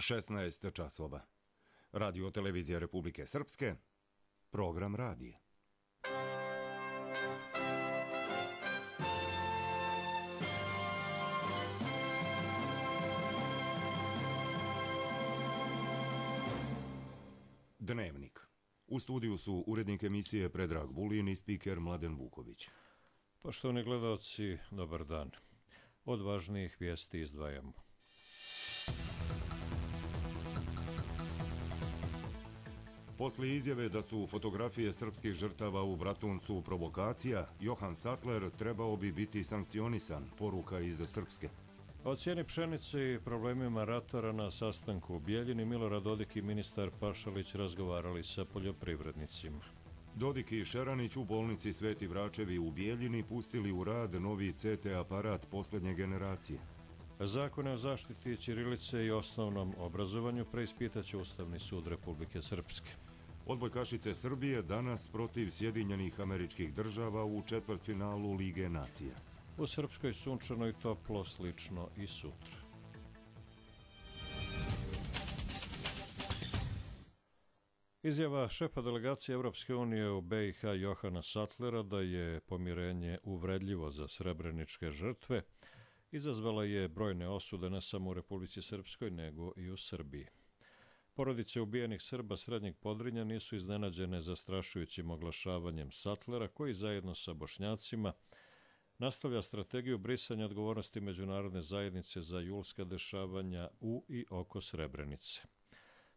16 časova. Radio televizija Republike Srpske, program radije. Dnevnik. U studiju su urednik emisije Predrag Vulin i spiker Mladen Vuković. Poštovani gledalci, dobar dan. Od važnijih vijesti izdvajamo. Posle izjave da su fotografije srpskih žrtava u Bratuncu provokacija, Johan Sattler trebao bi biti sankcionisan, poruka iz Srpske. O cijeni pšenice i problemima ratara na sastanku u Bijeljini Milorad Dodik i ministar Pašalić razgovarali sa poljoprivrednicima. Dodik i Šeranić u bolnici Sveti Vračevi u Bijeljini pustili u rad novi CT aparat posljednje generacije. Zakone o zaštiti ćirilice i osnovnom obrazovanju preispitaće Ustavni sud Republike Srpske. Odbojkašice Srbije danas protiv Sjedinjenih Američkih Država u četvrtfinalu Lige nacija. U Srpskoj sunčano i toplo, slično i sutra. Izjava šefa delegacije Europske unije u BiH Johana Sattlera da je pomirenje uvredljivo za srebreničke žrtve izazvala je brojne osude ne samo u Republici Srpskoj nego i u Srbiji. Porodice ubijenih Srba Srednjeg Podrinja nisu iznenađene zastrašujućim oglašavanjem Sattlera koji zajedno sa Bošnjacima nastavlja strategiju brisanja odgovornosti međunarodne zajednice za julska dešavanja u i oko Srebrenice.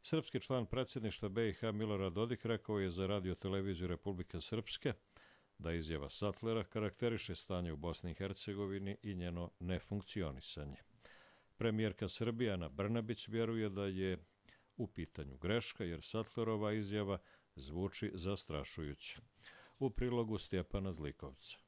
Srpski član predsjedništva BiH Milorad Dodik rekao je za radio televiziju Republike Srpske da izjava Sattlera karakteriše stanje u Bosni i Hercegovini i njeno nefunkcionisanje. Premijerka Srbije Ana Brnabić vjeruje da je u pitanju greška jer Sattlerova izjava zvuči zastrašujuće. U prilogu Stjepana Zlikovca.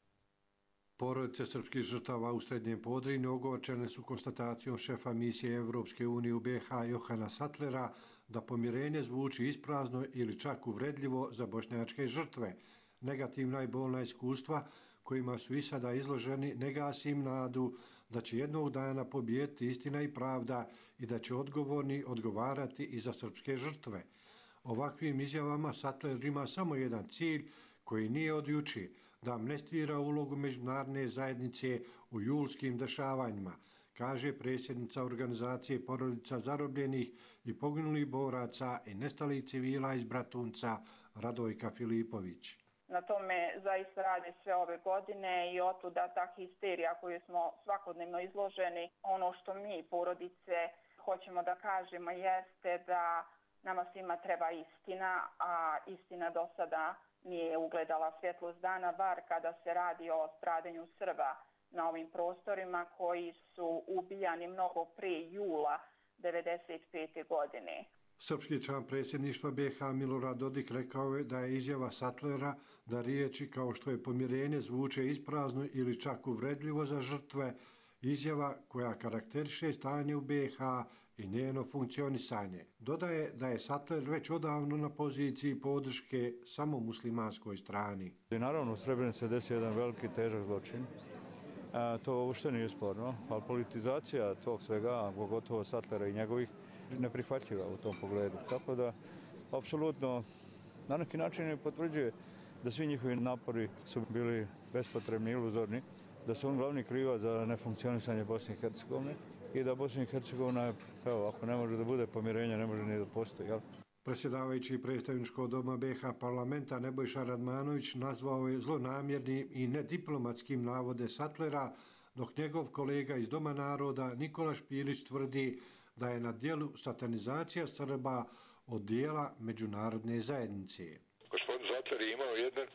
Porodice srpskih žrtava u Srednjem Podrinju ogorčene su konstatacijom šefa misije Evropske unije u BiH Johana Sattlera da pomirenje zvuči isprazno ili čak uvredljivo za bošnjačke žrtve. Negativna i bolna iskustva kojima su i sada izloženi ne gasi im nadu da će jednog dana pobijediti istina i pravda i da će odgovorni odgovarati i za srpske žrtve. Ovakvim izjavama Sattler ima samo jedan cilj koji nije od juče, da amnestira ulogu međunarodne zajednice u julskim dešavanjima, kaže predsjednica organizacije porodica zarobljenih i poginulih boraca i nestalih civila iz Bratunca Radojka Filipović. Na tome zaista radi sve ove godine i otuda ta histerija koju smo svakodnevno izloženi. Ono što mi, porodice, hoćemo da kažemo jeste da nama svima treba istina, a istina do sada nije ugledala svjetlost dana, bar kada se radi o stradanju Srba na ovim prostorima koji su ubijani mnogo prije jula 1995. godine. Srpski član predsjedništva BiH Milorad Dodik rekao je da je izjava Sattlera da riječi kao što je pomirenje zvuče isprazno ili čak uvredljivo za žrtve, izjava koja karakteriše stanje u BiH i njeno funkcionisanje. Dodaje da je Sattler već odavno na poziciji podrške samo muslimanskoj strani. Naravno, u Srebrenici se desio jedan veliki težak zločin. To uopšte nije sporno, ali politizacija tog svega, pogotovo Sattlera i njegovih, neprihvatljiva u tom pogledu. Tako da, apsolutno, na neki način potvrđuje da svi njihovi napori su bili bespotrebni i iluzorni, da su on glavni krivac za nefunkcionisanje Bosne i Hercegovine i da Bosna i Hercegovina, evo, ako ne može da bude pomirenja, ne može ni da postoji, jel? Predsjedavajući predstavničkog doma BiH parlamenta Nebojša Radmanović nazvao je zlonamjernim i nediplomatskim navode Sattlera, dok njegov kolega iz Doma naroda Nikola Špilić tvrdi da je na djelu satanizacija Srba od dijela međunarodne zajednice. Gospodin Sattler je imao jedan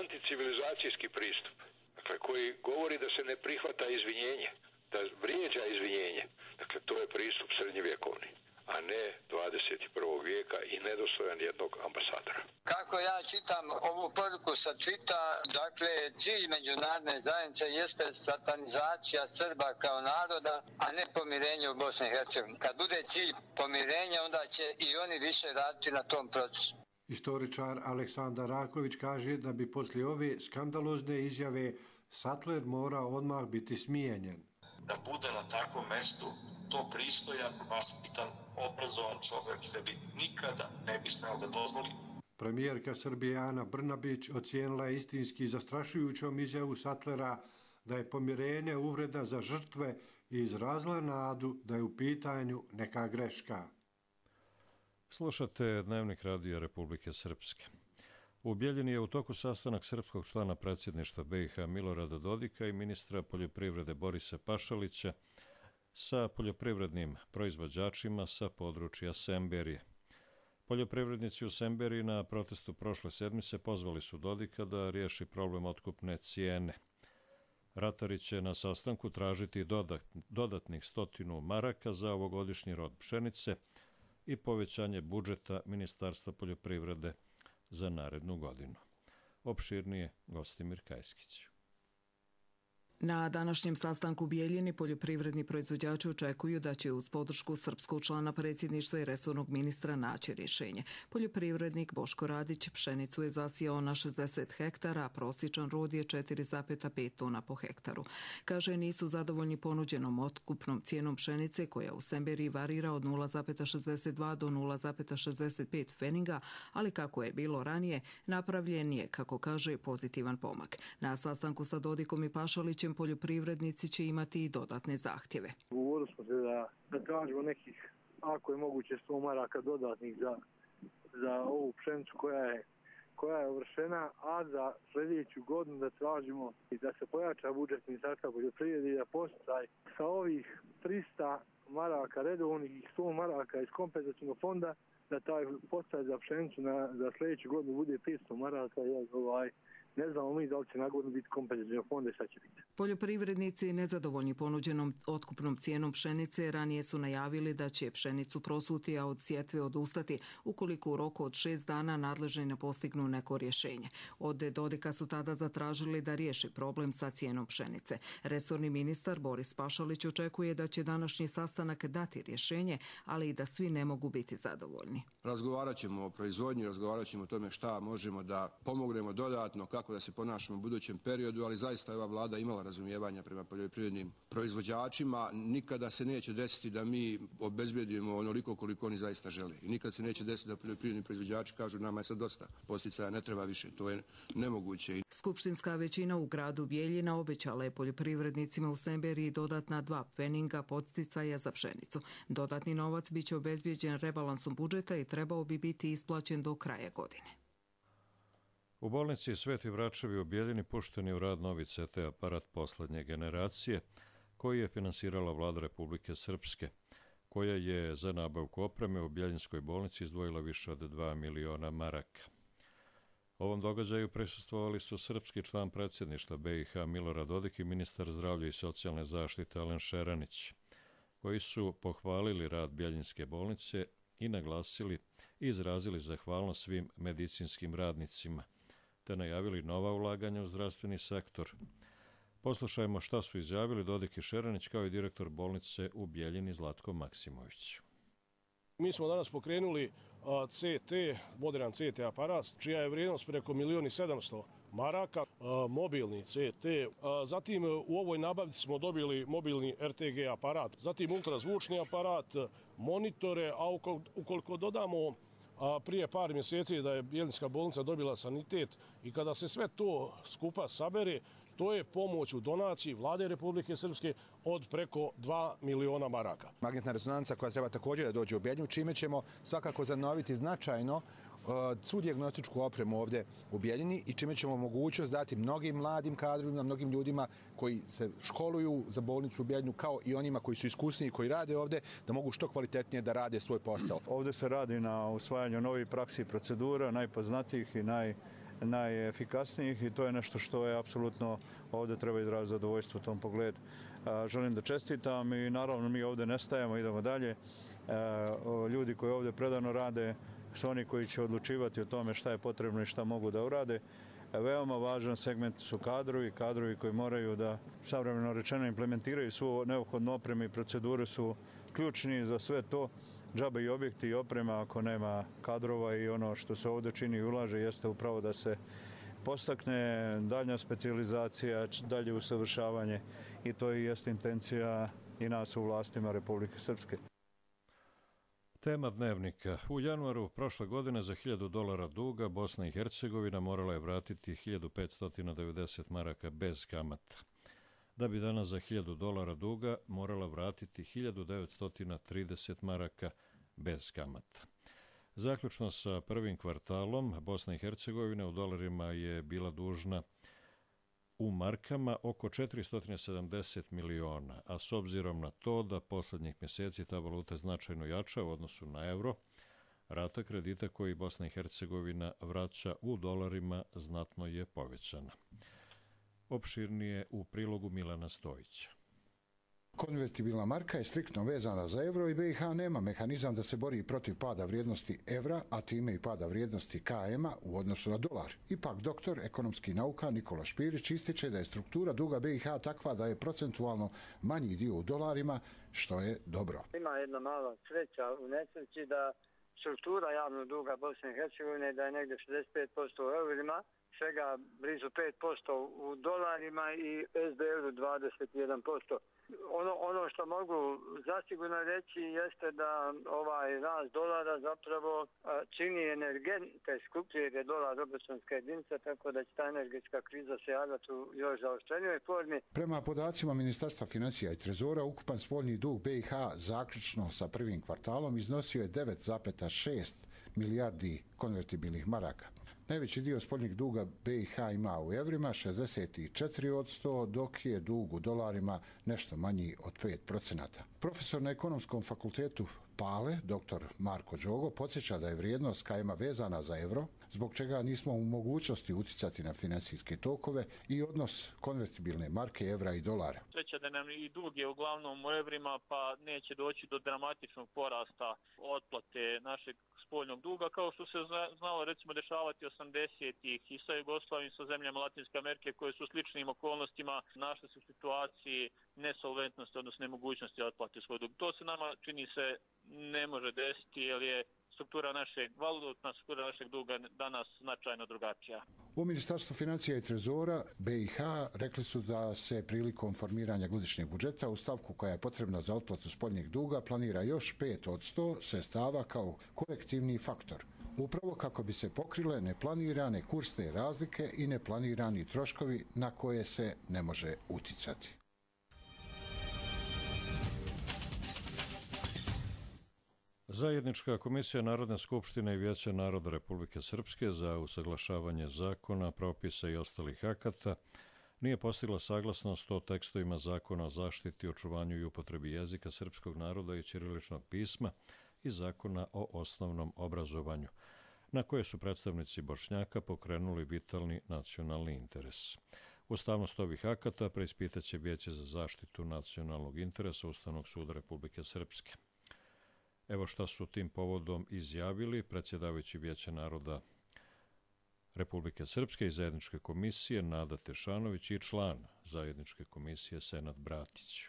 anticivilizacijski pristup, dakle, koji govori da se ne prihvata izvinjenje, da vrijeđa izvinjenje. Dakle, to je pristup srednjevjekovni, a ne 21. vijeka i nedostojan jednog ambasadora. Kako ja čitam ovu poruku sa Tvita, dakle, cilj međunarodne zajednice jeste satanizacija Srba kao naroda, a ne pomirenje u Bosni i Hercegovini. Kad bude cilj pomirenja, onda će i oni više raditi na tom procesu. Istoričar Aleksandar Raković kaže da bi poslije ove skandalozne izjave Sattler mora odmah biti smijenjen. Da bude na takvom mestu to pristojan, vaspitan, obrazovan čovjek sebi nikada ne bi smeo da dozvoli. Premijerka Srbije Ana Brnabić ocijenila je istinski zastrašujućom izjavu Sattlera da je pomirenje uvreda za žrtve i izrazila nadu da je u pitanju neka greška. Slušate Dnevnik radija Republike Srpske. U Bijeljini je u toku sastanak srpskog člana predsjedništva BiH Milorada Dodika i ministra poljoprivrede Borisa Pašalića sa poljoprivrednim proizvođačima sa područja Semberije. Poljoprivrednici u Semberiji na protestu prošle sedmice pozvali su Dodika da riješi problem otkupne cijene. Ratari će na sastanku tražiti dodatnih 100 maraka za ovogodišnji rod pšenice i povećanje budžeta Ministarstva poljoprivrede za narednu godinu. Opširnije Gostimir Kajskić. Na današnjem sastanku u Bijeljini poljoprivredni proizvođači očekuju da će uz podršku srpskog člana predsjedništva i resornog ministra naći rješenje. Poljoprivrednik Boško Radić pšenicu je zasijao na 60 hektara, a prosječan rod je 4,5 tona po hektaru. Kaže, nisu zadovoljni ponuđenom otkupnom cijenom pšenice koja u Semberiji varira od 0,62 do 0,65 pfeniga, ali kako je bilo ranije, napravljen je, kako kaže, pozitivan pomak. Na sastanku sa Dodikom i Pašalićem poljoprivrednici će imati i dodatne zahtjeve. Ugovorili smo se da tražimo nekih, ako je moguće, 100 maraka dodatnih za ovu pšenicu koja je uvršena, a za sljedeću godinu da tražimo i da se pojača budžet Ministarstva poljoprivrede i da postaj sa ovih 300 maraka redovnih i 100 maraka iz kompenzacijnog fonda, da taj postaj za pšenicu za sljedeću godinu bude 500 maraka. Ne znamo mi da li će na godinu biti kompenzacijnog fonda i šta će biti. Poljoprivrednici nezadovoljni ponuđenom otkupnom cijenom pšenice ranije su najavili da će pšenicu prosuti, a od sjetve odustati ukoliko u roku od 6 dana nadležni ne postignu neko rješenje. Od Dodika su tada zatražili da riješi problem sa cijenom pšenice. Resorni ministar Boris Pašalić očekuje da će današnji sastanak dati rješenje, ali i da svi ne mogu biti zadovoljni. Razgovarat ćemo o proizvodnji, razgovarat ćemo o tome šta možemo da pomognemo dodatno, kako da se ponašamo u budućem periodu, ali zaista je ova vlada imala razumijevanja prema poljoprivrednim proizvođačima. Nikada se neće desiti da mi obezbedimo onoliko koliko oni zaista žele. I nikad se neće desiti da poljoprivredni proizvođači kažu nama je sad dosta posticaja, ne treba više. To je nemoguće. Skupštinska većina u gradu Bijeljina obećala je poljoprivrednicima u Semberiji dodatna 2 pfeninga podsticaja za pšenicu. Dodatni novac biće obezbijeđen rebalansom budžeta i trebao bi biti isplaćen do kraja godine. U bolnici Sveti Vračevi u Bijeljini pušten je u rad novi CT aparat poslednje generacije koji je finansirala vlada Republike Srpske, koja je za nabavku opreme u Bijeljinskoj bolnici izdvojila više od 2 miliona maraka. Ovom događaju prisustvovali su srpski član predsjedništva BiH Milorad Dodik i ministar zdravlja i socijalne zaštite Alen Šeranić, koji su pohvalili rad Bijeljinske bolnice i naglasili i izrazili zahvalnost svim medicinskim radnicima, te najavili nova ulaganja u zdravstveni sektor. Poslušajmo šta su izjavili Dodik i Šeranić kao i direktor bolnice u Bijeljini Zlatko Maksimović. Mi smo danas pokrenuli CT, modern CT aparat, čija je vrijednost preko 1.700.000 maraka, mobilni CT. Zatim u ovoj nabavci smo dobili mobilni RTG aparat, zatim ultrazvučni aparat, monitore, a ukoliko dodamo prije par mjeseci da je Bijeljinska bolnica dobila sanitet i kada se sve to skupa sabere, to je pomoć u donaciji vlade Republike Srpske od preko 2 miliona maraka. Magnetna rezonanca koja treba također da dođe u Bijeljinu, čime ćemo svakako zanoviti značajno svu dijagnostičku opremu ovdje u Bijeljini i čime ćemo mogućnost dati mnogim mladim kadrovima, mnogim ljudima koji se školuju za bolnicu u Bijeljinu, kao i onima koji su iskusniji, koji rade ovdje, da mogu što kvalitetnije da rade svoj posao. Ovdje se radi na usvajanju novih praksi i procedura, najpoznatijih i najefikasnijih i to je nešto što je apsolutno ovdje treba izraziti zadovoljstvo u tom pogledu. Želim da čestitam i naravno mi ovdje ne stajemo, idemo dalje. Ljudi koji ovdje predano rade su oni koji će odlučivati o tome šta je potrebno i šta mogu da urade. Veoma važan segment su kadrovi koji moraju da savremeno rečeno implementiraju svu neophodnu opremu i procedure su ključni za sve to. Džabe i objekti i oprema ako nema kadrova i ono što se ovdje čini i ulaže jeste upravo da se postakne daljnja specijalizacija, dalje usavršavanje i to i jeste intencija i nas u vlastima Republike Srpske. Tema dnevnika. U januaru prošle godine za $1.000 duga Bosna i Hercegovina morala je vratiti 1590 maraka bez kamata, da bi danas za $1.000 duga morala vratiti 1930 maraka bez kamata. Zaključno sa prvim kvartalom, Bosna i Hercegovina u dolarima je bila dužna u markama oko 470 miliona, a s obzirom na to da posljednjih mjeseci ta valuta značajno jača u odnosu na euro, rata kredita koji Bosna i Hercegovina vraća u dolarima znatno je povećana. Opširnije u prilogu Milana Stojića. Konvertibilna marka je striktno vezana za euro i BiH nema mehanizam da se bori protiv pada vrijednosti evra, a time i pada vrijednosti KM-a u odnosu na dolar. Ipak doktor ekonomskih nauka Nikola Špirić ističe da je struktura duga BiH takva da je procentualno manji dio u dolarima, što je dobro. Ima jedna mala sreća u nesreći da struktura javnog duga Bosne i Hercegovine da je negdje 65% u eurima, svega blizu 5% u dolarima i SDR-u 21%. Ono što mogu zasigurno reći jeste da ovaj rast dolara zapravo čini energente skuplje jer je dolar obračunska jedinica, tako da će ta energetska kriza se javljati u još zaoštrenijoj formi. Prema podacima Ministarstva financija i trezora, ukupan spoljni dug BiH zaključno sa prvim kvartalom iznosio je 9,6 milijardi konvertibilnih maraka. Najveći dio spoljnih duga BiH ima u evrima, 64%, dok je dug u dolarima nešto manji od 5%. Profesor na Ekonomskom fakultetu Pale, dr. Marko Đogo, podsjeća da je vrijednost KM-a vezana za euro, zbog čega nismo u mogućnosti uticati na financijske tokove i odnos konvertibilne marke evra i dolara. Sreća da nam i dug je uglavnom u evrima, pa neće doći do dramatičnog porasta otplate našeg spoljnog duga, kao što se znalo recimo dešavati 80-ih i sa Jugoslavijom, sa zemljama Latinske Amerike koje su u sličnim okolnostima našle se u situaciji nesolventnosti, odnosno nemogućnosti otplate svoj dug. To se nama čini se ne može desiti jer je valutna struktura našeg duga danas značajno drugačija. U Ministarstvu financija i trezora BiH rekli su da se prilikom formiranja godišnjeg budžeta u stavku koja je potrebna za otplatu spoljnjeg duga planira još 5% sredstava kao korektivni faktor. Upravo kako bi se pokrile neplanirane kursne razlike i neplanirani troškovi na koje se ne može uticati. Zajednička komisija Narodne skupštine i Vijeća naroda Republike Srpske za usaglašavanje zakona, propisa i ostalih akata nije postigla saglasnost o tekstovima zakona o zaštiti, očuvanju i upotrebi jezika srpskog naroda i ćiriličnog pisma i zakona o osnovnom obrazovanju, na koje su predstavnici Bošnjaka pokrenuli vitalni nacionalni interes. Ustavnost ovih akata preispitaće Vijeće za zaštitu nacionalnog interesa Ustavnog suda Republike Srpske. Evo šta su tim povodom izjavili predsjedavajući Vijeća naroda Republike Srpske i Zajedničke komisije Nada Tešanović i član Zajedničke komisije Senad Bratić.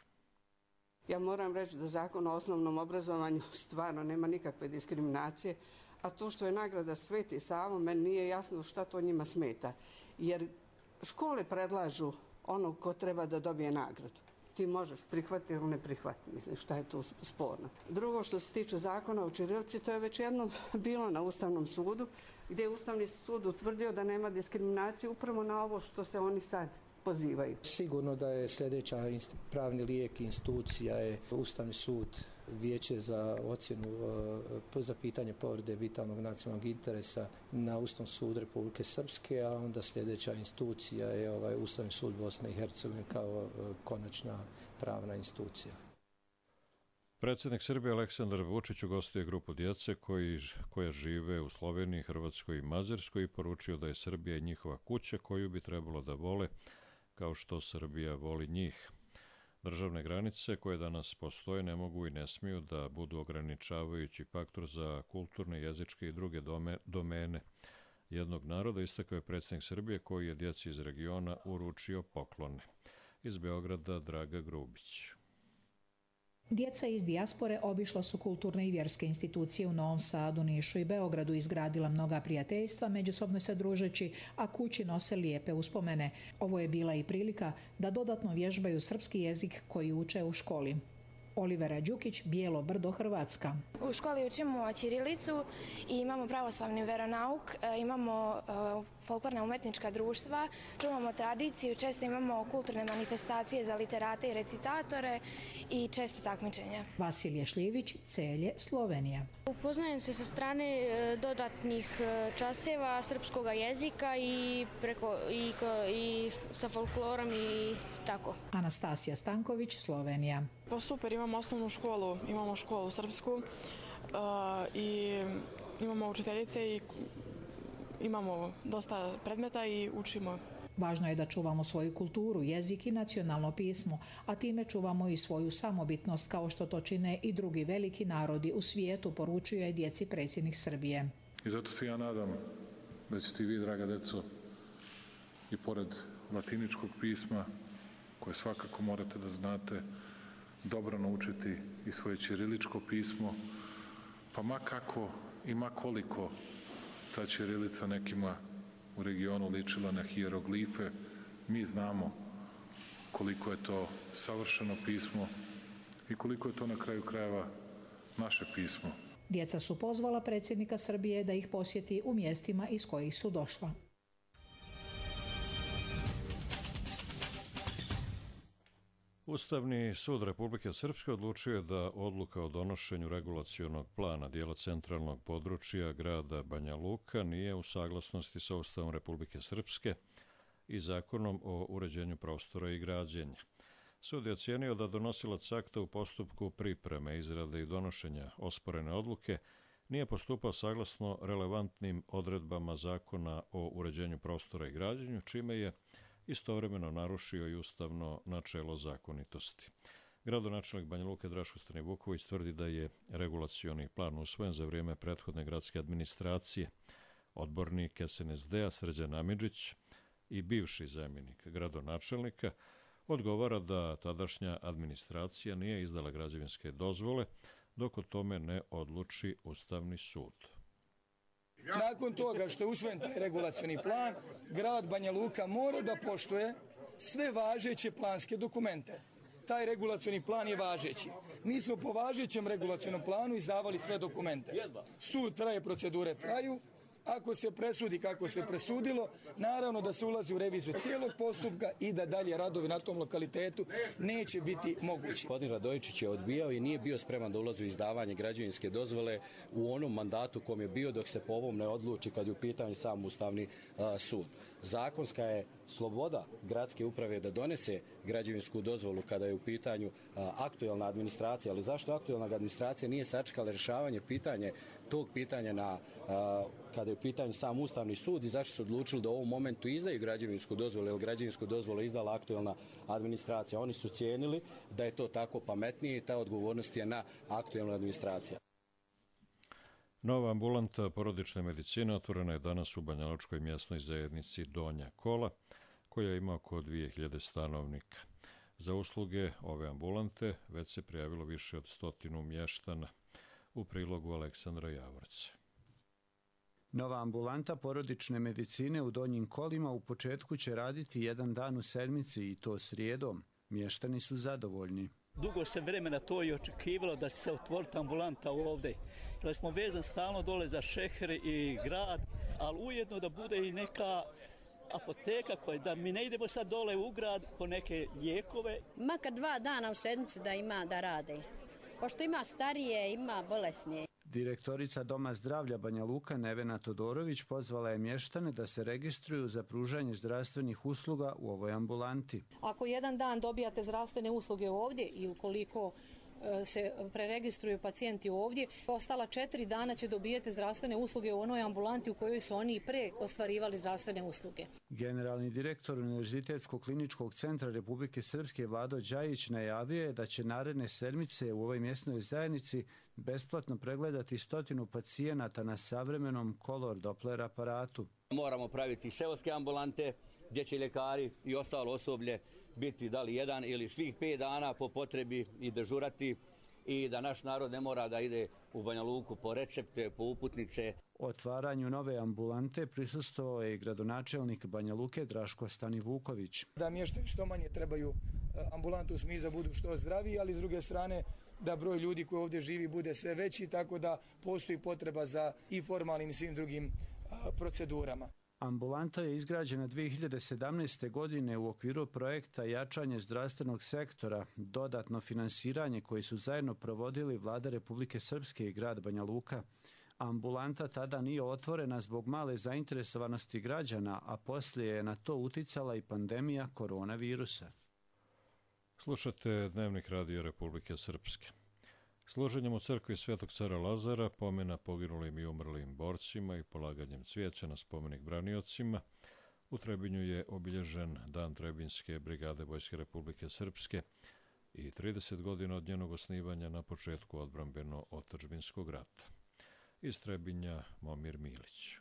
Ja moram reći da zakon o osnovnom obrazovanju stvarno nema nikakve diskriminacije, a to što je nagrada Sveti Savo, meni nije jasno šta to njima smeta. Jer škole predlažu onog ko treba da dobije nagradu. Ti možeš prihvatiti ili ne prihvatiti, mislim, šta je tu sporno. Drugo, što se tiče zakona o ćirilici, to je već jednom bilo na Ustavnom sudu, gdje je Ustavni sud utvrdio da nema diskriminacije upravo na ovo što se oni sad pozivaju. Sigurno da je sljedeća pravni lijek institucija je Ustavni sud, Vijeće za ocjenu za pitanje povrede vitalnog nacionalnog interesa na Ustavnom sudu Republike Srpske, a onda sljedeća institucija je Ustavni sud Bosne i Hercegovine kao konačna pravna institucija. Predsjednik Srbije Aleksandar Vučić ugostio je grupu djece koja žive u Sloveniji, Hrvatskoj i Mađarskoj i poručio da je Srbija i njihova kuća koju bi trebalo da vole kao što Srbija voli njih. Državne granice koje danas postoje ne mogu i ne smiju da budu ograničavajući faktor za kulturne, jezičke i druge domene jednog naroda, istakao je predsjednik Srbije koji je djeci iz regiona uručio poklone. Iz Beograda Draga Grubić. Djeca iz dijaspore obišla su kulturne i vjerske institucije u Novom Sadu, Nišu i Beogradu, izgradila mnoga prijateljstva, međusobno se družeći, a kući nose lijepe uspomene. Ovo je bila i prilika da dodatno vježbaju srpski jezik koji uče u školi. Olivera Đukić, Bijelo Brdo, Hrvatska. U školi učimo ćirilicu i imamo pravoslavni veronauk, imamo folklorna umetnička društva, čuvamo tradiciju, često imamo kulturne manifestacije za literate i recitatore i često takmičenja. Vasilije Šljivić, Celje, Slovenija. Upoznajem se sa strane dodatnih časeva srpskog jezika i sa folklorom i tako. Anastasija Stanković, Slovenija. Pa super, imamo osnovnu školu, imamo školu srpsku i imamo učiteljice i imamo dosta predmeta i učimo. Važno je da čuvamo svoju kulturu, jezik i nacionalno pismo, a time čuvamo i svoju samobitnost kao što to čine i drugi veliki narodi u svijetu, poručuje djeci predsjednik Srbije. I zato se ja nadam da ćete i vi, draga deco, i pored latiničkog pisma, koje svakako morate da znate, dobro naučiti i svoje ćiriličko pismo, pa ma kako i ma koliko ta ćirilica nekima u regionu ličila na hijeroglife, mi znamo koliko je to savršeno pismo i koliko je to na kraju krajeva naše pismo. Djeca su pozvala predsjednika Srbije da ih posjeti u mjestima iz kojih su došla. Ustavni sud Republike Srpske odlučio je da odluka o donošenju regulacionog plana dijela centralnog područja grada Banja Luka nije u saglasnosti sa Ustavom Republike Srpske i Zakonom o uređenju prostora i građenja. Sud je ocijenio da donosilac akta u postupku pripreme, izrade i donošenja osporene odluke nije postupao saglasno relevantnim odredbama Zakona o uređenju prostora i građenju, čime je istovremeno narušio i ustavno načelo zakonitosti. Gradonačelnik Banja Luke Draško Stanivuković tvrdi da je regulacioni plan usvojen za vrijeme prethodne gradske administracije. Odbornik SNSD-a Srđan Amidžić i bivši zamjenik gradonačelnika odgovara da tadašnja administracija nije izdala građevinske dozvole dok o tome ne odluči Ustavni sud. Nakon toga što je usvojen taj regulacioni plan, grad Banja Luka mora da poštuje sve važeće planske dokumente. Taj regulacioni plan je važeći. Mi smo po važećem regulacionom planu izdavali sve dokumente. Sud traje, procedure traju. Ako se presudi kako se presudilo, naravno da se ulazi u reviziju cijelog postupka i da dalje radovi na tom lokalitetu neće biti mogući. Gospodin Radojičić je odbijao i nije bio spreman da ulazi u izdavanje građevinske dozvole u onom mandatu kom je bio dok se po ovom ne odluči kad je u pitanju sam Ustavni sud. Zakonska je sloboda gradske uprave da donese građevinsku dozvolu kada je u pitanju aktuelna administracija, ali zašto aktuelna administracija nije sačekala rješavanje tog pitanja kada je u pitanju sam Ustavni sud i zašto su odlučili da u ovom momentu izdaju građevinsku dozvolu, jer građevinsku dozvolu je izdala aktuelna administracija. Oni su cijenili da je to tako pametnije i ta odgovornost je na aktuelnoj administraciji. Nova ambulanta porodične medicine otvorena je danas u banjalučkoj mjesnoj zajednici Donja Kola, koja ima oko 2000 stanovnika. Za usluge ove ambulante već se prijavilo više od 100 mještana. U prilogu Aleksandra Javorca. Nova ambulanta porodične medicine u Donjim Kolima u početku će raditi jedan dan u sedmici i to srijedom. Mještani su zadovoljni. Dugo se vremena to i očekivalo da će se otvoriti ambulanta ovdje. Jer smo vezani stalno dole za Šeher i grad, ali ujedno da bude i neka apoteka koja da mi ne idemo sad dole u grad po neke lijekove. Makar 2 dana u sedmici da ima da rade. Pošto ima starije, ima bolesnije. Direktorica Doma zdravlja Banja Luka Nevena Todorović pozvala je mještane da se registruju za pružanje zdravstvenih usluga u ovoj ambulanti. Ako jedan dan dobijate zdravstvene usluge ovdje i ukoliko se preregistruju pacijenti ovdje, ostala 4 dana će dobijati zdravstvene usluge u onoj ambulanti u kojoj su oni i pre ostvarivali zdravstvene usluge. Generalni direktor Univerzitetskog kliničkog centra Republike Srpske Vlado Đajić najavio je da će naredne sedmice u ovoj mjesnoj zajednici besplatno pregledati 100 pacijenata na savremenom Color Doppler aparatu. Moramo praviti seoske ambulante gdje će ljekari i ostalo osoblje biti da li jedan ili svih 5 dana po potrebi i dežurati i da naš narod ne mora da ide u Banja Luku po recepte, po uputnice. Otvaranju nove ambulante prisustvovao je i gradonačelnik Banja Luke Draško Stanivuković. Da mještani što manje trebaju ambulantu u smislu budu što zdraviji, ali s druge strane da broj ljudi koji ovdje živi bude sve veći, tako da postoji potreba za i formalnim i svim drugim procedurama. Ambulanta je izgrađena 2017. godine u okviru projekta Jačanje zdravstvenog sektora, dodatno finansiranje koji su zajedno provodili Vlada Republike Srpske i grad Banja Luka. Ambulanta tada nije otvorena zbog male zainteresovanosti građana, a poslije je na to uticala i pandemija koronavirusa. Slušate Dnevnik Radio Republike Srpske. Služenjem u crkvi Svetog cara Lazara, pomena poginulim i umrlim borcima i polaganjem cvijeća na spomenik braniocima, u Trebinju je obilježen Dan Trebinjske brigade Vojske Republike Srpske i 30 godina od njenog osnivanja na početku odbrambeno-otadžbinskog rata. Iz Trebinja Momir Milić.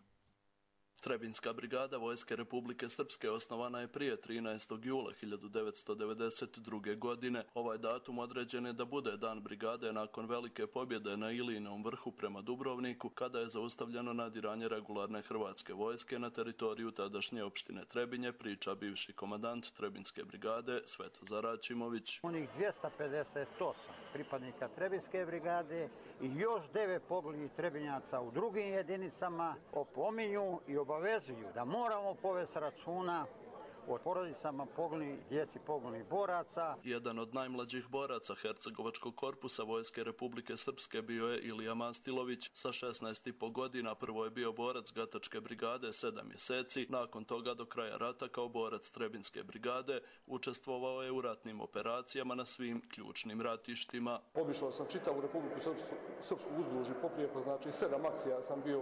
Trebinjska brigada Vojske Republike Srpske osnovana je prije 13. jula 1992. godine. Ovaj datum određen je da bude Dan brigade nakon velike pobjede na Ilijinom vrhu prema Dubrovniku, kada je zaustavljeno nadiranje regularne hrvatske vojske na teritoriju tadašnje opštine Trebinje, priča bivši komandant Trebinjske brigade Svetozar Aćimović. Onih 258 pripadnika Trebinjske brigade i još 9 poginulih Trebinjaca u drugim jedinicama opominju i obavezuju da moramo povesti računa o porodicama poginulih, djeci poginulih boraca. Jedan od najmlađih boraca Hercegovačkog korpusa Vojske Republike Srpske bio je Ilija Mastilović. Sa 16,5 godina prvo je bio borac Gatačke brigade 7 mjeseci. Nakon toga do kraja rata kao borac Trebinjske brigade učestvovao je u ratnim operacijama na svim ključnim ratištima. Obišao sam čitavu Republiku Srpsku uzduž i poprijeko, znači 7 akcija sam bio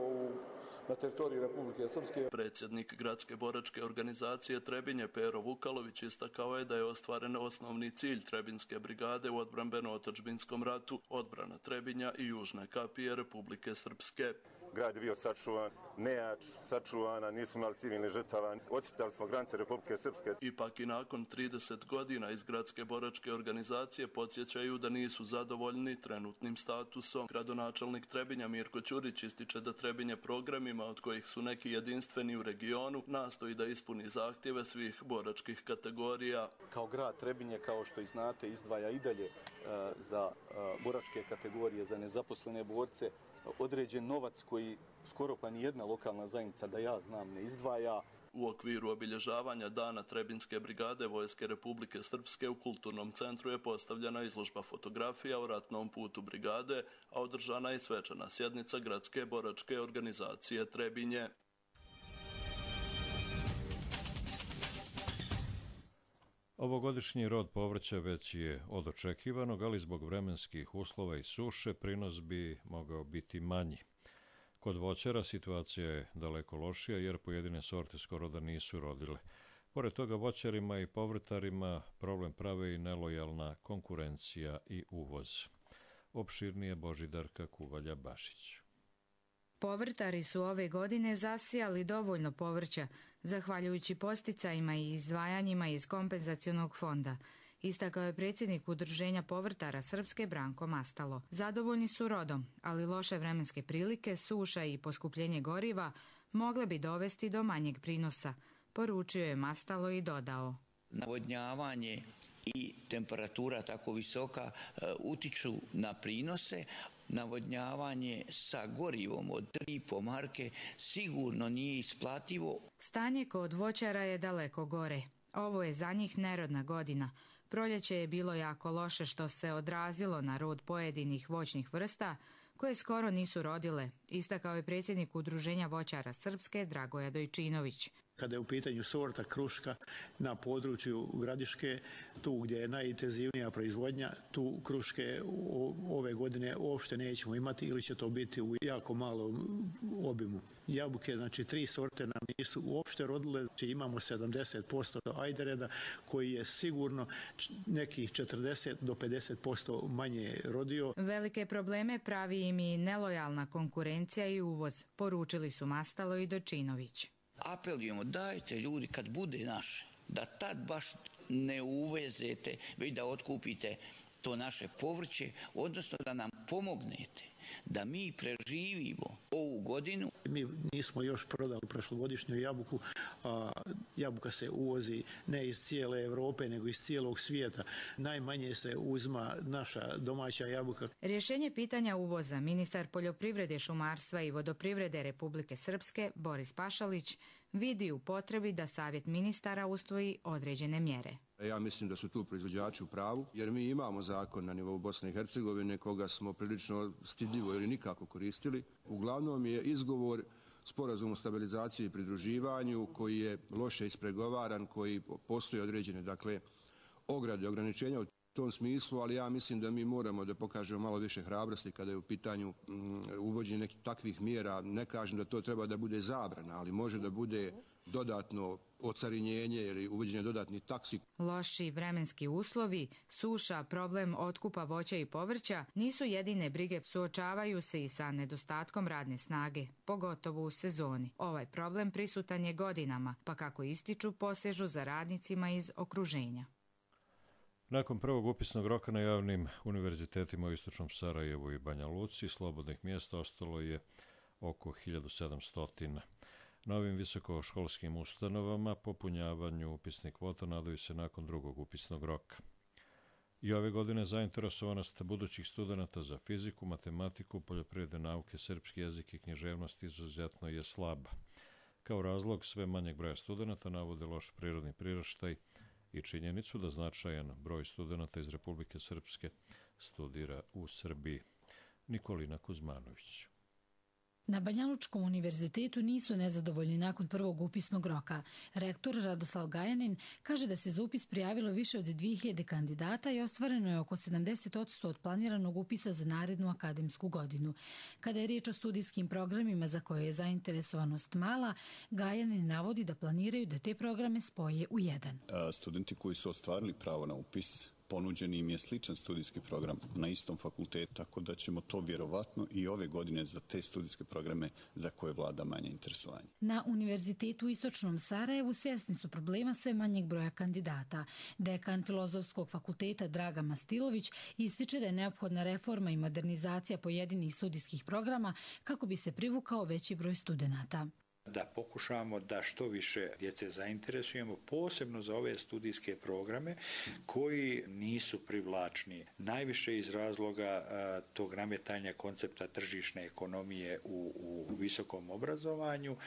na teritoriji Republike Srpske. Predsjednik gradske boračke organizacije Trebinje Pero Vukalović istakao je da je ostvaren osnovni cilj Trebinjske brigade u odbrambeno-otadžbinskom ratu, odbrana Trebinja i južne kapije Republike Srpske. Grad je bio sačuvan, nejač, sačuvana, nisu imali civilni žrtava, odštitali smo granice Republike Srpske. Ipak i nakon 30 godina iz gradske boračke organizacije podsjećaju da nisu zadovoljni trenutnim statusom. Gradonačelnik Trebinja Mirko Ćurić ističe da Trebinje programima, od kojih su neki jedinstveni u regionu, nastoji da ispuni zahtjeve svih boračkih kategorija. Kao grad Trebinje, kao što i znate, izdvaja i dalje za boračke kategorije, za nezaposlene borce, određen novac koji skoro pa nijedna lokalna zajednica, da ja znam, ne izdvaja. U okviru obilježavanja Dana Trebinjske brigade Vojske Republike Srpske u Kulturnom centru je postavljena izložba fotografija o ratnom putu brigade, a održana je svečana sjednica gradske boračke organizacije Trebinje. Ovogodišnji rod povrća već je od očekivanog, ali zbog vremenskih uslova i suše prinos bi mogao biti manji. Kod voćara situacija je daleko lošija jer pojedine sorte skoro da nisu rodile. Pored toga voćarima i povrtarima problem prave i nelojalna konkurencija i uvoz. Opširnije Božidarka Kuvalja-Bašić. Povrtari su ove godine zasijali dovoljno povrća, zahvaljujući posticajima i izdvajanjima iz kompenzacionog fonda, istakao je predsjednik Udruženja povrtara Srpske Branko Mastalo. Zadovoljni su rodom, ali loše vremenske prilike, suša i poskupljenje goriva mogle bi dovesti do manjeg prinosa, poručio je Mastalo i dodao. Navodnjavanje i temperatura tako visoka utiču na prinose. Navodnjavanje sa gorivom od 3,5 marke sigurno nije isplativo. Stanje kod voćara je daleko gore. Ovo je za njih nerodna godina. Proljeće je bilo jako loše što se odrazilo na rod pojedinih voćnih vrsta koje skoro nisu rodile, istakao je predsjednik Udruženja voćara Srpske Dragoja Dojčinović. Kada je u pitanju sorta kruška na području Gradiške, tu gdje je najintenzivnija proizvodnja, tu kruške ove godine uopšte nećemo imati ili će to biti u jako malom obimu. Jabuke, znači 3 sorte nam nisu uopšte rodile, znači imamo 70% ajdereda koji je sigurno nekih 40 do 50% manje rodio. Velike probleme pravi im i nelojalna konkurencija i uvoz, poručili su Mastalo i Dojčinović. Apelujemo, dajte ljudi kad bude naše, da tad baš ne uvezete, već da otkupite to naše povrće, odnosno da nam pomognete, da mi preživimo ovu godinu Mi nismo još prodali prošlogodišnju jabuku, jabuka se uvozi ne iz cijele Europe, nego iz cijelog svijeta. Najmanje se uzma naša domaća jabuka. Rješenje pitanja uvoza ministar poljoprivrede, šumarstva i vodoprivrede Republike Srpske Boris Pašalić vidi u potrebi da Savjet ministara usvoji određene mjere. Ja mislim da su tu proizvođači u pravu, jer mi imamo zakon na nivou Bosne i Hercegovine koga smo prilično stidljivo ili nikako koristili. Uglavnom je izgovor sporazum o stabilizaciji i pridruživanju koji je loše ispregovaran, koji postoji određene ograde, ograničenja u tom smislu, ali ja mislim da mi moramo da pokažemo malo više hrabrosti kada je u pitanju uvođenje nekih takvih mjera. Ne kažem da to treba da bude zabrana, ali može da bude dodatno ocarinjenje ili uvođenje dodatnih taksi. Loši vremenski uslovi, suša, problem otkupa voća i povrća nisu jedine brige, suočavaju se i sa nedostatkom radne snage, pogotovo u sezoni. Ovaj problem prisutan je godinama, pa kako ističu, posežu za radnicima iz okruženja. Nakon prvog upisnog roka na javnim univerzitetima u Istočnom Sarajevu i Banja Luci, slobodnih mjesta ostalo je oko 1700. Na ovim visokoškolskim ustanovama popunjavanju upisnih kvota nadaju se nakon drugog upisnog roka. I ove godine zainteresovanost budućih studenata za fiziku, matematiku, poljoprivredne nauke, srpski jezik i književnost izuzetno je slaba. Kao razlog sve manjeg broja studenata navode loš prirodni priraštaj i činjenicu da značajan broj studenata iz Republike Srpske studira u Srbiji. Nikolina Kuzmanović. Na Banjalučkom univerzitetu nisu nezadovoljni nakon prvog upisnog roka. Rektor Radoslav Gajanin kaže da se za upis prijavilo više od 2000 kandidata i ostvareno je oko 70% od planiranog upisa za narednu akademsku godinu. Kada je riječ o studijskim programima za koje je zainteresovanost mala, Gajanin navodi da planiraju da te programe spoje u jedan. Studenti koji su ostvarili pravo na upis, ponuđen im je sličan studijski program na istom fakultetu, tako da ćemo to vjerovatno i ove godine za te studijske programe za koje vlada manje interesovanje. Na Univerzitetu u Istočnom Sarajevu svjesni su problema sve manjeg broja kandidata. Dekan Filozofskog fakulteta Draga Mastilović ističe da je neophodna reforma i modernizacija pojedinih studijskih programa kako bi se privukao veći broj studenata. Da pokušamo da što više djece zainteresujemo, posebno za ove studijske programe koji nisu privlačni. Najviše iz razloga tog nametanja koncepta tržišne ekonomije u visokom obrazovanju,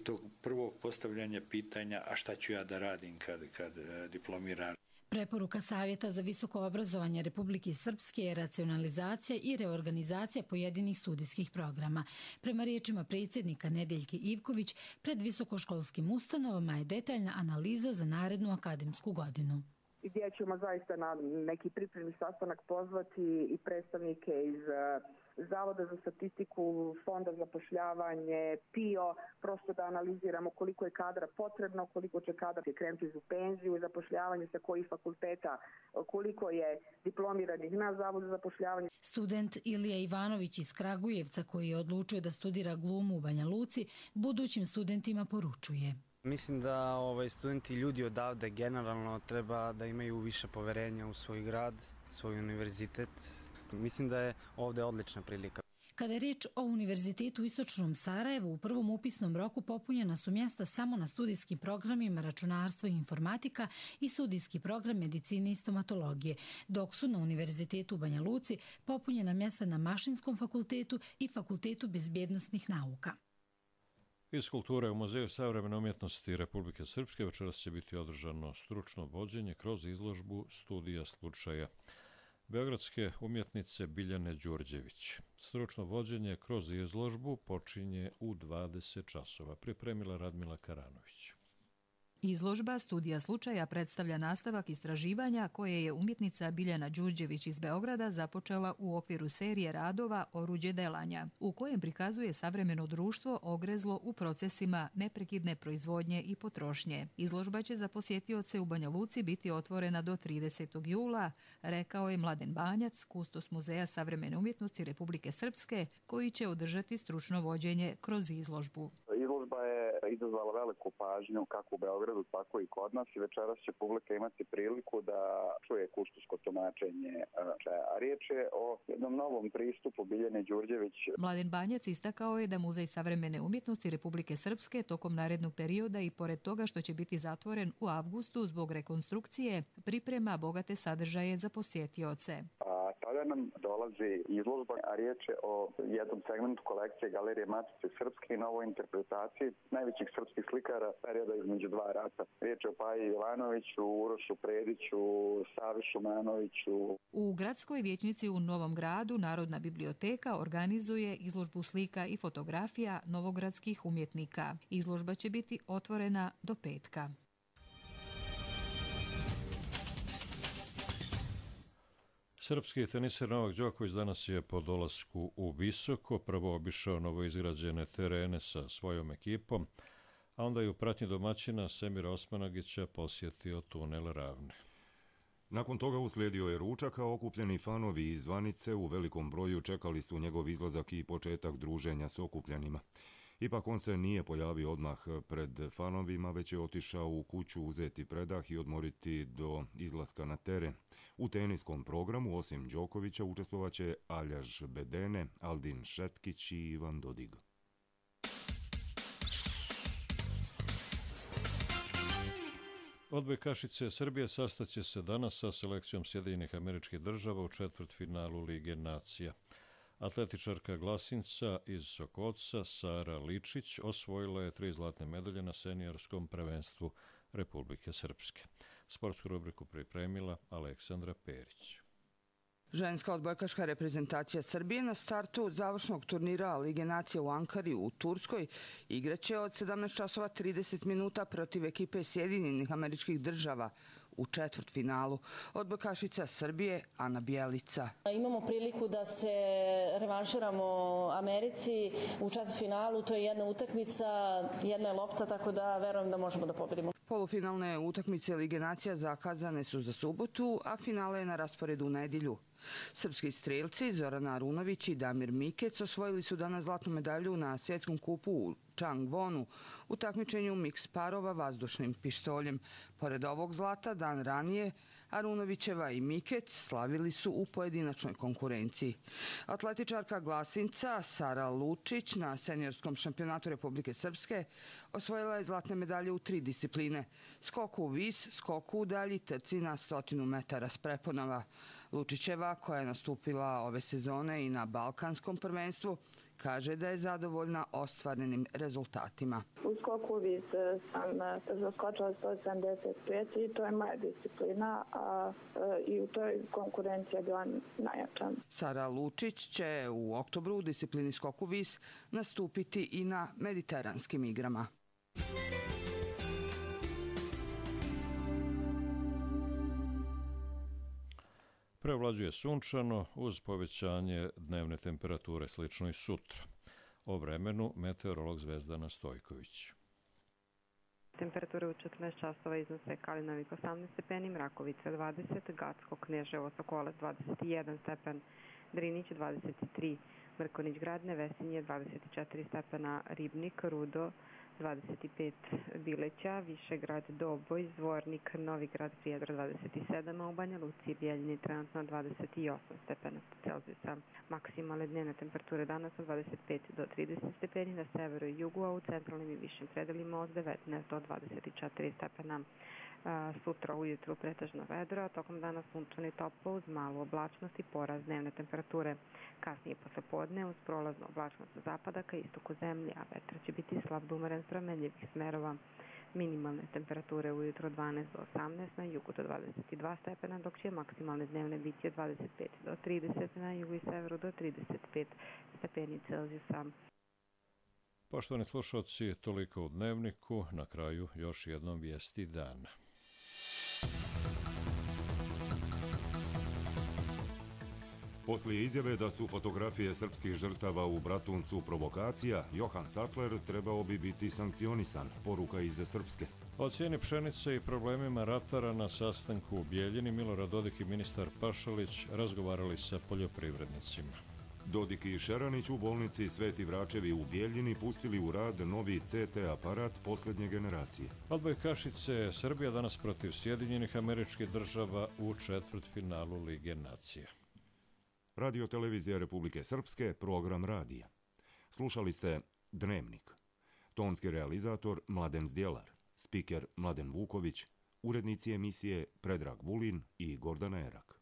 tog prvog postavljanja pitanja a šta ću ja da radim kad diplomiram. Preporuka Savjeta za visoko obrazovanje Republike Srpske je racionalizacija i reorganizacija pojedinih studijskih programa. Prema riječima predsjednika Nedeljke Ivković, pred visokoškolskim ustanovama je detaljna analiza za narednu akademsku godinu. Gdje ćemo zaista na neki pripremni sastanak pozvati i predstavnike iz Zavoda za statistiku, Fonda za zapošljavanje, PIO, prosto da analiziramo koliko je kadra potrebno, koliko će kadar krenuti u penziju, zapošljavanje sa kojih fakulteta, koliko je diplomiranih na Zavodu za zapošljavanje. Student Ilija Ivanović iz Kragujevca, koji je odlučio da studira glumu u Banja Luci, budućim studentima poručuje. Mislim da studenti, ljudi odavde generalno treba da imaju više poverenja u svoj grad, svoj univerzitet. Mislim da je ovdje odlična prilika. Kada je riječ o Univerzitetu u Istočnom Sarajevu, u prvom upisnom roku popunjena su mjesta samo na studijskim programima računarstvo i informatika i studijski program medicine i stomatologije, dok su na Univerzitetu u Banja Luci popunjena mjesta na Mašinskom fakultetu i Fakultetu bezbjednosnih nauka. Iz kulture u Muzeju savremene umjetnosti Republike Srpske večeras će biti održano stručno vođenje kroz izložbu studija slučaja beogradske umjetnice Biljane Đurđević. Stručno vođenje kroz izložbu počinje u 20 časova. Pripremila Radmila Karanović. Izložba Studija slučaja predstavlja nastavak istraživanja koje je umjetnica Biljana Đurđević iz Beograda započela u okviru serije radova Oruđe delanja, u kojem prikazuje savremeno društvo ogrezlo u procesima neprekidne proizvodnje i potrošnje. Izložba će za posjetioce u Banja Luci biti otvorena do 30. jula, rekao je Mladen Banjac, kustos Muzeja savremene umjetnosti Republike Srpske, koji će održati stručno vođenje kroz izložbu. Izložba je izazvala veliku pažnju kako u Beogradu, tako i kod nas i večeras će publika imati priliku da čuje kustosko tumačenje. A riječ je o jednom novom pristupu Biljane Đurđević. Mladen Banjac istakao je da Muzej savremene umjetnosti Republike Srpske tokom narednog perioda i pored toga što će biti zatvoren u avgustu zbog rekonstrukcije, priprema bogate sadržaje za posjetioce. Sada nam dolazi izložba, a riječ je o jednom segmentu kolekcije Galerije Matice Srpske i novoj interpretaciji najvećih srpskih slikara perioda između dva rata. Riječ je o Paji Jovanoviću, Urošu Prediću, Savi Šumanoviću. U gradskoj vijećnici u Novom Gradu Narodna biblioteka organizuje izložbu slika i fotografija novogradskih umjetnika. Izložba će biti otvorena do petka. Srpski teniser Novak Đoković danas je po dolasku u Visoko prvo obišao novoizgrađene terene sa svojom ekipom, a onda je u pratnji domaćina Semira Osmanagića posjetio tunel Ravne. Nakon toga uslijedio je ručak, a okupljeni fanovi iz zvanice u velikom broju čekali su njegov izlazak i početak druženja s okupljenima. Ipak on se nije pojavio odmah pred fanovima, već je otišao u kuću uzeti predah i odmoriti do izlaska na teren. U teniskom programu, osim Đokovića, učestvovaće Aljaž Bedene, Aldin Šetkić i Ivan Dodig. Odbojkašice Srbije sastaće se danas sa selekcijom Sjedinjenih Američkih Država u četvrtfinalu Lige nacija. Atletičarka Glasinca iz Sokoca Sara Ličić osvojila je 3 zlatne medalje na seniorskom prvenstvu Republike Srpske. Sportsku rubriku pripremila Aleksandra Perić. Ženska odbojkaška reprezentacija Srbije na startu završnog turnira Lige nacija u Ankari u Turskoj igraće od 17:30 minuta protiv ekipe Sjedinjenih Američkih Država u četvrtfinalu. Odbojkašica Srbije Ana Bjelica. Imamo priliku da se revanširamo Americi u četvrtfinalu. To je jedna utakmica, jedna je lopta, tako da verujem da možemo da pobedimo. Polufinalne utakmice Lige nacija zakazane su za subotu, a finale je na rasporedu u nedjelju. Srpski strelci Zorana Arunović i Damir Mikec osvojili su danas zlatnu medalju na svjetskom kupu u Changwonu u takmičenju miks parova vazdušnim pištoljem. Pored ovog zlata, dan ranije, Arunovićeva i Mikec slavili su u pojedinačnoj konkurenciji. Atletičarka Glasinca Sara Lučić na seniorskom šampionatu Republike Srpske osvojila je zlatne medalje u 3 discipline: skoku u vis, skoku u dalji, trci na 100 metara s preponama. Lučićeva, koja je nastupila ove sezone i na Balkanskom prvenstvu, kaže da je zadovoljna ostvarenim rezultatima. U skoku vis sam zaskočila 175 i to je moja disciplina, a i u toj konkurenciji je bila najjača. Sara Lučić će u oktobru u disciplini skoku vis nastupiti i na mediteranskim igrama. Prevlađuje sunčano uz povećanje dnevne temperature, slično i sutra. O vremenu meteorolog Zvezdana Stojković. Temperature u 14 časova iznose Kalinavik 18 stepeni, Mrakovica 20, Gacko, Kneževo, Sokolac 21 stepen, Drinić 23, Mrkonić Grad, Nevesinje 24 stepena, Ribnik, Rudo 25, Bileća, Višegrad, Doboj, Zvornik, Novigrad, Prijedor 27, a u Banja Luci i Bijeljini trenutno 28 stepena Celzijusa. Maksimalne dnevne temperature danas od 25 do 30 stepeni na severu i jugu, a u centralnim i višim predelima od 19 do 24 stepena. Sutra ujutru pretežno vedro, a tokom dana sunčano i toplo uz malu oblačnost i porast dnevne temperature. Kasnije posle podne uz prolaznu oblačnost sa zapada ka istoku zemlje, a vetar će biti slab do umeren s promenljivih smerova. Minimalne temperature ujutro 12 do 18, na jugu do 22 stepena, dok će maksimalne dnevne biti od 25 do 30, na jugu i severu do 35 stepeni Celzijusa. Poštovani slušalci, toliko u Dnevniku, na kraju još jednom vijesti dana. Poslije izjave da su fotografije srpskih žrtava u Bratuncu provokacija, Johan Sattler trebao bi biti sankcionisan, poruka iz Srpske. O cijeni pšenice i problemima ratara na sastanku u Bijeljini Milorad Dodik i ministar Pašalić razgovarali sa poljoprivrednicima. Dodik i Šeranić u bolnici Sveti Vračevi u Bijeljini pustili u rad novi CT aparat posljednje generacije. Odbojkašice Srbija danas protiv Sjedinjenih Američkih Država u četvrtfinalu Lige nacija. Radio televizija Republike Srpske, program radija. Slušali ste Dnevnik. Tonski realizator Mladen Zdjelar, spiker Mladen Vuković, urednici emisije Predrag Vulin i Gordana Erak.